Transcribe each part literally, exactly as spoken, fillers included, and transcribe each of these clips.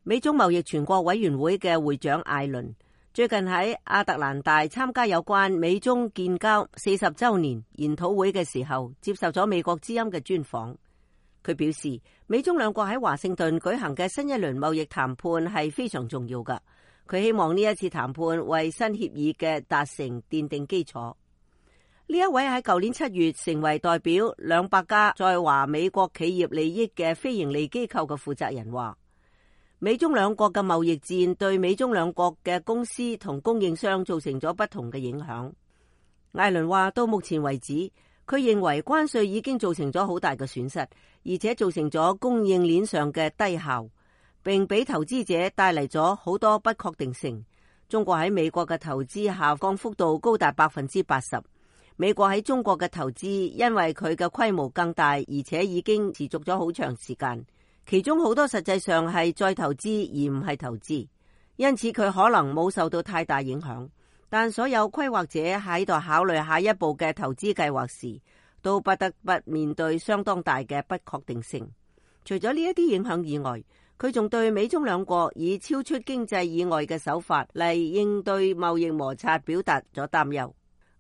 美中貿易全國委員會嘅會長艾倫最近喺亞特蘭大參加有關美中建交四十週年研討會嘅時候，接受咗美國之音嘅專訪。佢表示，美中兩國喺華盛頓舉行嘅新一輪貿易談判係非常重要㗎。佢希望呢一次談判為新協議嘅達成奠定基礎。呢一位喺舊年七月成為代表兩百家在華美國企業利益嘅非營利機構嘅負責人話，美中兩國嘅貿易戰對美中兩國嘅公司同供應商造成咗不同嘅影響。艾倫話，到目前為止，佢認為關稅已經造成咗好大嘅損失，而且造成咗供應鏈上嘅低效，並俾投資者帶嚟咗好多不確定性。中國喺美國嘅投資下降幅度高達百分之八十。美國喺中國嘅投資因為佢嘅規模更大，而且已經持續咗好長時間。其中好多實際上係再投資而唔係投資，因此佢可能冇受到太大影響。但所有規劃者喺度考慮下一步嘅投資計劃時，都不得不面對相當大嘅不確定性。除咗呢一啲影響以外，佢仲對美中兩國以超出經濟以外嘅手法嚟應對貿易摩擦表達咗擔憂。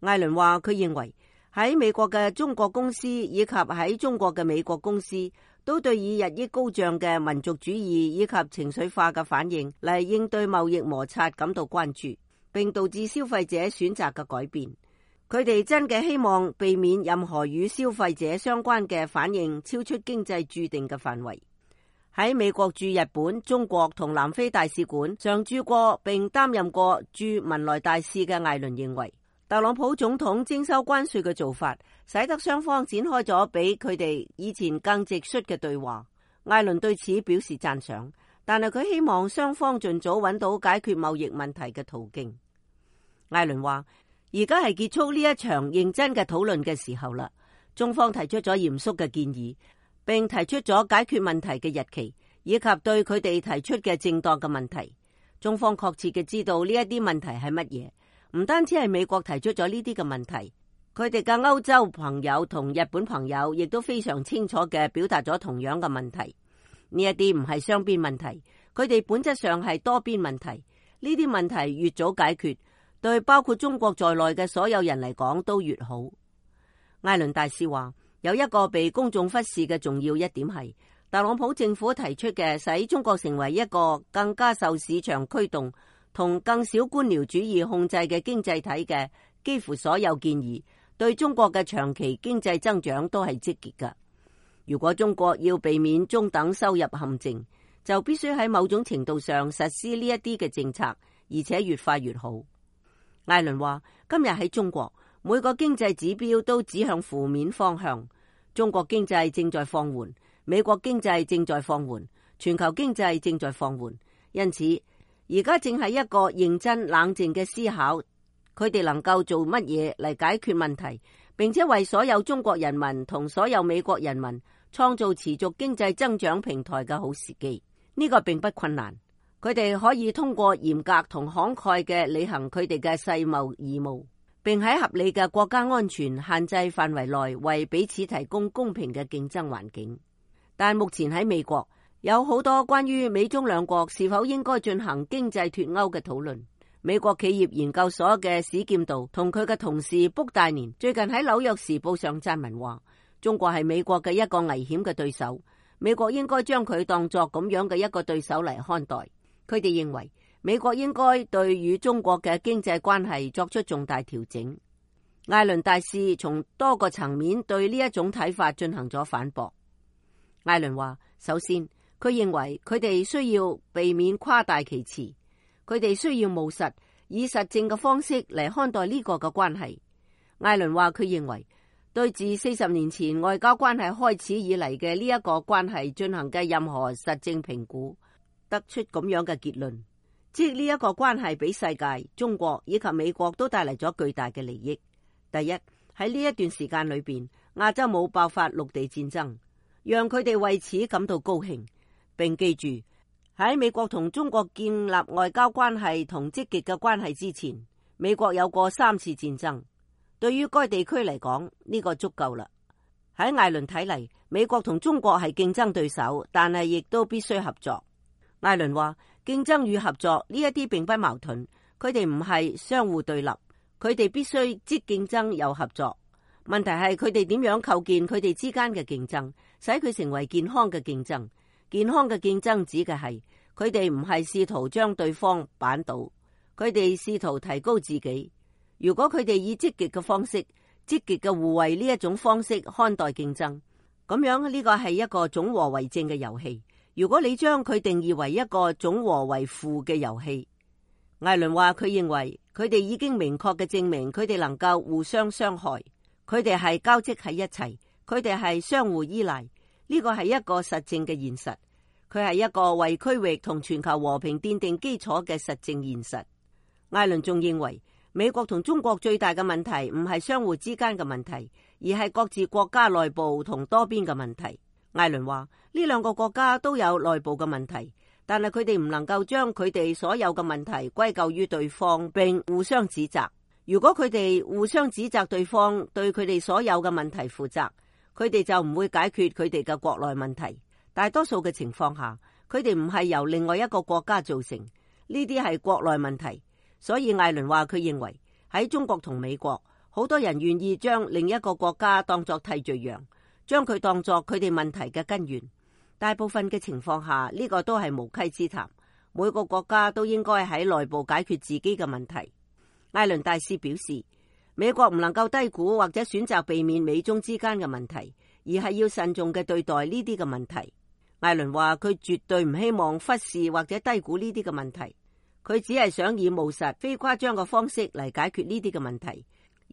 艾倫話，佢認為喺美國嘅中國公司以及喺中國嘅美國公司都對以日益高漲嘅民族主義以及情緒化嘅反應嚟應對貿易摩擦感到關注，並導致消費者選擇嘅改變。佢哋真嘅希望避免任何與消費者相關嘅反應超出經濟注定嘅範圍。喺美國駐日本、中國同南非大使館常駐過並擔任過駐文萊大使嘅艾倫認為，特朗普總統徵收關稅嘅做法，使得雙方展開咗比佢哋以前更直率嘅對話。艾倫對此表示讚賞，但係佢希望雙方盡早揾到解決貿易問題嘅途徑。艾倫話，而家係結束呢一場認真嘅討論嘅時候啦。中方提出咗嚴肅嘅建議，並提出咗解決問題嘅日期，以及對佢哋提出嘅正當嘅問題。中方確切嘅知道呢一啲問題係乜嘢。唔單止係美國提出咗呢啲嘅問題，佢哋嘅歐洲朋友同日本朋友亦都非常清楚嘅表達咗同樣嘅問題。呢一啲唔係雙邊問題，佢哋本質上係多邊問題。呢啲問題越早解決，對包括中國在內嘅所有人嚟講都越好。艾倫大使話，有一個被公眾忽視嘅重要一點係，特朗普政府提出嘅使中國成為一個更加受市場驅動同更少官僚主義控制嘅經濟體嘅幾乎所有建議，對中國嘅長期經濟增長都係積極嘅。如果中國要避免中等收入陷阱，就必須喺某種程度上實施呢一啲嘅政策，而且越快越好。艾倫話，今日喺中國，每個經濟指標都指向負面方向。中國經濟正在放緩，美國經濟正在放緩，全球經濟正在放緩，因此而家正係一個認真冷靜嘅思考，佢哋能夠做乜嘢嚟解決問題，並且為所有中國人民同所有美國人民創造持續經濟增長平台嘅好時機。呢個並不困難，佢哋可以通過嚴格同慷慨嘅履行佢哋嘅世貿義務，並喺合理嘅國家安全限制範圍內為彼此提供公平嘅競爭環境。但目前喺美國，有好多關於美中兩國是否應該進行經濟脫鈎嘅討論。美國企業研究所嘅史劍道同佢嘅同事卜大年最近喺紐約時報上撰文話，中國係美國嘅一個危險嘅對手，美國應該將佢當作咁樣嘅一個對手嚟看待。佢哋認為美國應該對與中國嘅經濟關係作出重大調整。艾倫大使從多個層面對呢一種睇法進行咗反駁。艾倫話，首先，佢認為佢哋需要避免誇大其詞，佢哋需要務實，以實證嘅方式嚟看待呢個嘅關係。艾倫話，佢認為對自四十年前外交關係開始以嚟嘅呢一個關係進行嘅任何實證評估，得出咁樣嘅結論，即呢一個關係俾世界、中國以及美國都帶嚟咗巨大嘅利益。第一，喺呢一段時間裏邊，亞洲冇爆發陸地戰爭，讓佢哋為此感到高興。並記住，喺美國同中國建立外交關係同積極嘅關係之前，美國有過三次戰爭。對於該地區嚟講，呢個足夠啦。喺艾倫睇嚟，美國同中國係競爭對手，但係亦都必須合作。艾倫話，競爭與合作呢一啲並不矛盾，佢哋唔係相互對立，佢哋必須即競爭又合作。問題係佢哋點樣構建佢哋之間嘅競爭，使佢成為健康嘅競爭。健康嘅競爭指嘅係佢哋唔係試圖將對方扳倒，佢哋試圖提高自己。如果佢哋以積極嘅方式、積極嘅互惠呢一種方式看待競爭，咁樣呢個係一個總和為正嘅遊戲。如果你將佢定義為一個總和為負嘅遊戲，艾倫話佢認為佢哋已經明確嘅證明佢哋能夠互相傷害，佢哋係交織喺一齊，佢哋係相互依賴。呢個係一個實證嘅現實，佢係一個為區域同全球和平奠定基礎嘅實證現實。艾倫仲認為美國同中國最大嘅問題唔係相互之間嘅問題，而係各自國家內部同多邊嘅問題。艾倫話呢兩個國家都有內部嘅問題，但係佢哋唔能夠將佢哋所有嘅問題歸咎於對方並互相指責。如果佢哋互相指責對方對佢哋所有嘅問題負責，佢哋就唔會解決佢哋嘅國內問題。大多數嘅情況下，佢哋唔係由另外一個國家造成，呢啲係國內問題。所以艾倫話佢認為喺中國同美國，好多人願意將另一個國家當作替罪羊，將佢當作佢哋問題嘅根源。大部分嘅情況下，呢個都係無稽之談。每個國家都應該喺內部解決自己嘅問題。艾倫大使表示，美國唔能夠低估或者選擇避免美中之間嘅問題，而係要慎重嘅對待呢啲嘅問題。艾倫話佢絕對唔希望忽視或者低估呢啲嘅問題，佢只係想以務實、非誇張嘅方式嚟解決呢啲嘅問題，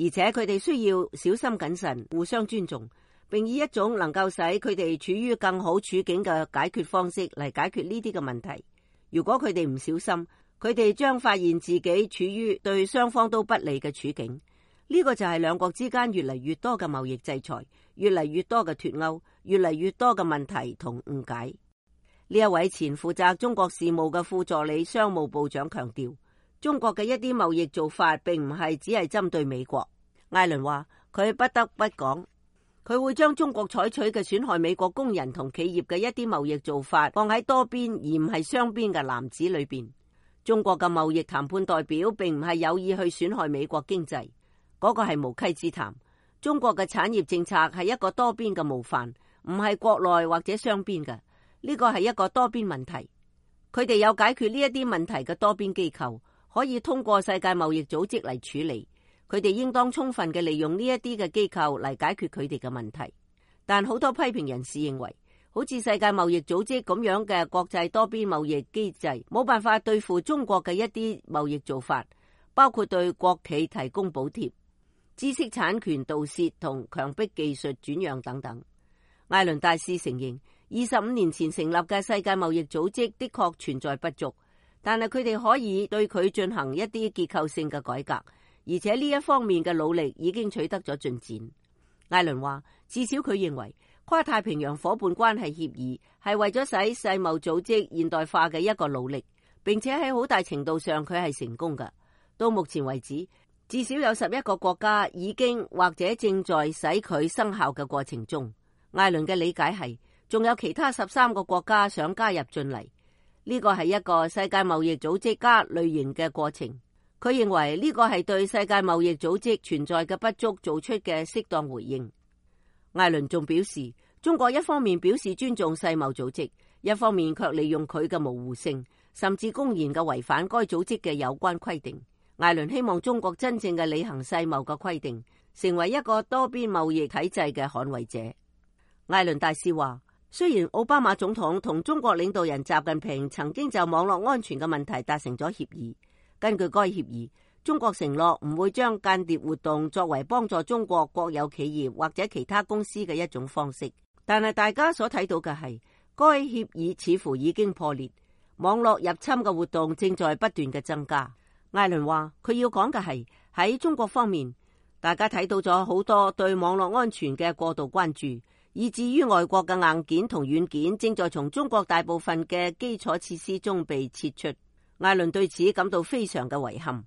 而且佢哋需要小心謹慎、互相尊重，並以一種能夠使佢哋處於更好處境嘅解決方式嚟解決呢啲嘅問題。如果佢哋唔小心，佢哋將發現自己處於對雙方都不利嘅處境。呢個就係兩國之間越嚟越多嘅貿易制裁，越嚟越多嘅脫鈎，越嚟越多嘅問題同誤解。呢一位前負責中國事務嘅副助理商務部長強調，中國嘅一啲貿易做法並唔係只係針對美國。艾倫話佢不得不講，佢會將中國採取嘅損害美國工人同企業嘅一啲貿易做法放喺多邊而唔係雙邊嘅籃子裏邊。中國嘅貿易談判代表並唔係有意去損害美國經濟，嗰個係無稽之談。中國嘅產業政策係一個多邊嘅模範，唔係國內或者雙邊嘅。呢個係一個多邊問題，佢哋有解決呢一啲問題嘅多邊機構，可以通過世界貿易組織嚟處理。佢哋應當充分嘅利用呢一啲嘅機構嚟解決佢哋嘅問題。但好多批評人士認為，好似世界貿易組織咁樣嘅國際多邊貿易機制，冇辦法對付中國嘅一啲貿易做法，包括對國企提供補貼、知識產權盜竊同強迫技術轉讓等等。艾倫大使承認，二十五年前成立嘅世界貿易組織的確存在不足，但係佢哋可以對佢進行一啲結構性嘅改革，而且呢一方面嘅努力已經取得咗進展。艾倫話，至少佢認為跨太平洋夥伴關係協議係為咗使世貿組織現代化嘅一個努力，並且喺好大程度上佢係成功嘅。到目前為止，至少有十一個國家已經或者正在使佢生效嘅過程中。艾倫嘅理解係，仲有其他十三個國家想加入進嚟，呢個係一個世界貿易組織加類型嘅過程。佢認為呢個係對世界貿易組織存在嘅不足做出嘅適當回應。艾倫仲表示，中國一方面表示尊重世貿組織，一方面卻利用佢嘅模糊性，甚至公然嘅違反該組織嘅有關規定。艾倫希望中國真正嘅履行世貿嘅規定，成為一個多邊貿易體制嘅捍衛者。艾倫大使話，雖然奧巴馬總統同中國領導人習近平曾經就網絡安全嘅問題達成咗協議，根據該協議，中國承諾唔會將間諜活動作為幫助中國國有企業或者其他公司嘅一種方式。但係大家所睇到嘅係，該協議似乎已經破裂，網絡入侵嘅活動正在不斷嘅增加。艾倫話，佢要講嘅係喺中國方面，大家睇到咗好多對網絡安全嘅過度關注，以至於外國嘅硬件同軟件正在從中國大部分嘅基礎設施中被撤出。艾倫對此感到非常嘅遺憾。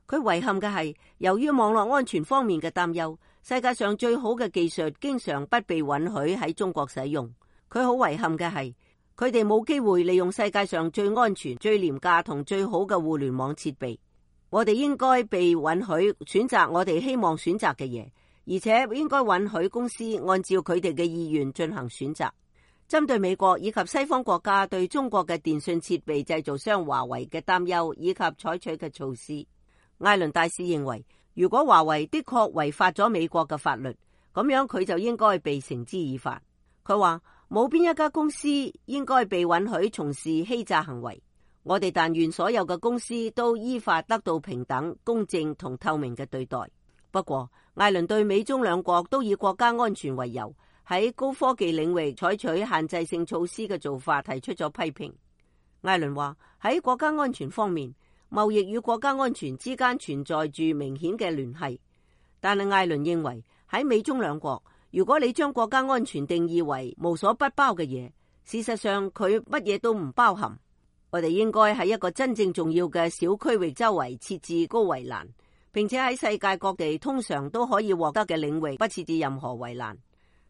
佢遺憾嘅係，由於網絡安全方面嘅擔憂，世界上最好嘅技術經常不被允許喺中國使用。佢好遺憾嘅係，佢哋冇機會利用世界上最安全、最廉價同最好嘅互聯網設備。我哋應該被允許選擇我哋希望選擇嘅嘢，而且應該允許公司按照佢哋嘅意願進行選擇。針對美國以及西方國家對中國嘅電信設備製造商華為嘅擔憂以及採取嘅措施，艾倫大使認為，如果華為的確違法咗美國嘅法律，咁樣佢就應該被繩之以法。佢話冇邊一家公司應該被允許從事欺詐行為。我哋但願所有嘅公司都依法得到平等、公正同透明嘅對待。不過，艾倫對美中兩國都以國家安全為由，喺高科技領域採取限制性措施嘅做法提出咗批評。艾倫話喺國家安全方面，貿易與國家安全之間存在住明顯嘅聯繫。但係艾倫認為喺美中兩國，如果你將國家安全定義為無所不包嘅嘢，事實上佢乜嘢都唔包含。我哋應該喺一個真正重要嘅小區域周圍設置高圍欄，並且喺世界各地通常都可以獲得嘅領域不設置任何圍欄。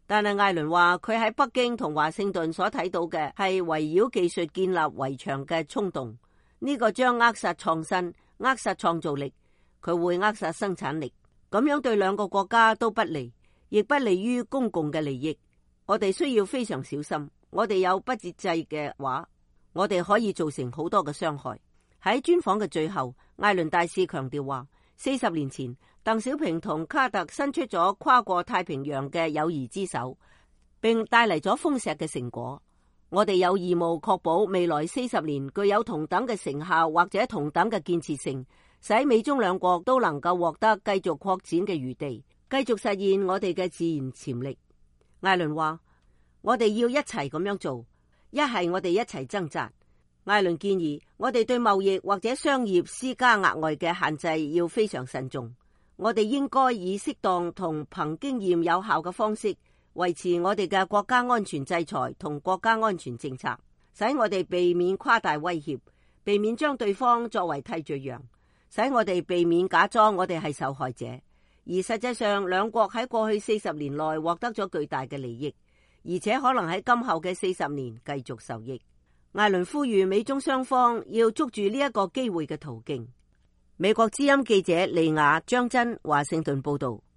但係艾倫話佢喺北京同華盛頓所睇到嘅係圍繞技術建立圍牆嘅衝動，呢個將扼殺創新、扼殺創造力，佢會扼殺生產力，咁樣對兩個國家都不利，亦不利於公共嘅利益。我哋需要非常小心，我哋有不節制嘅話，我哋可以造成好多嘅傷害。喺專訪嘅最後，艾倫大使強調話，四十年前鄧小平同卡特伸出咗跨過太平洋嘅友誼之手，並帶嚟咗豐碩嘅成果。我哋有義務確保未來四十年具有同等嘅成效或者同等嘅建設性，使美中兩國都能夠獲得繼續擴展嘅餘地，繼續實現我哋嘅自然潛力。艾倫話，我哋要一齊咁樣做。一係我哋一齊掙扎。艾倫建議我哋對貿易或者商業施加額外嘅限制要非常慎重。我哋應該以適當同憑經驗有效嘅方式維持我哋嘅國家安全制裁同國家安全政策，使我哋避免誇大威脅，避免將對方作為替罪羊，使我哋避免假裝我哋係受害者。而實際上，兩國喺過去四十年內獲得咗巨大嘅利益，而且可能喺今後嘅四十年繼續受益。艾倫呼籲美中雙方要捉住呢一個機會嘅途徑。美國之音記者利亞張真華盛頓報道。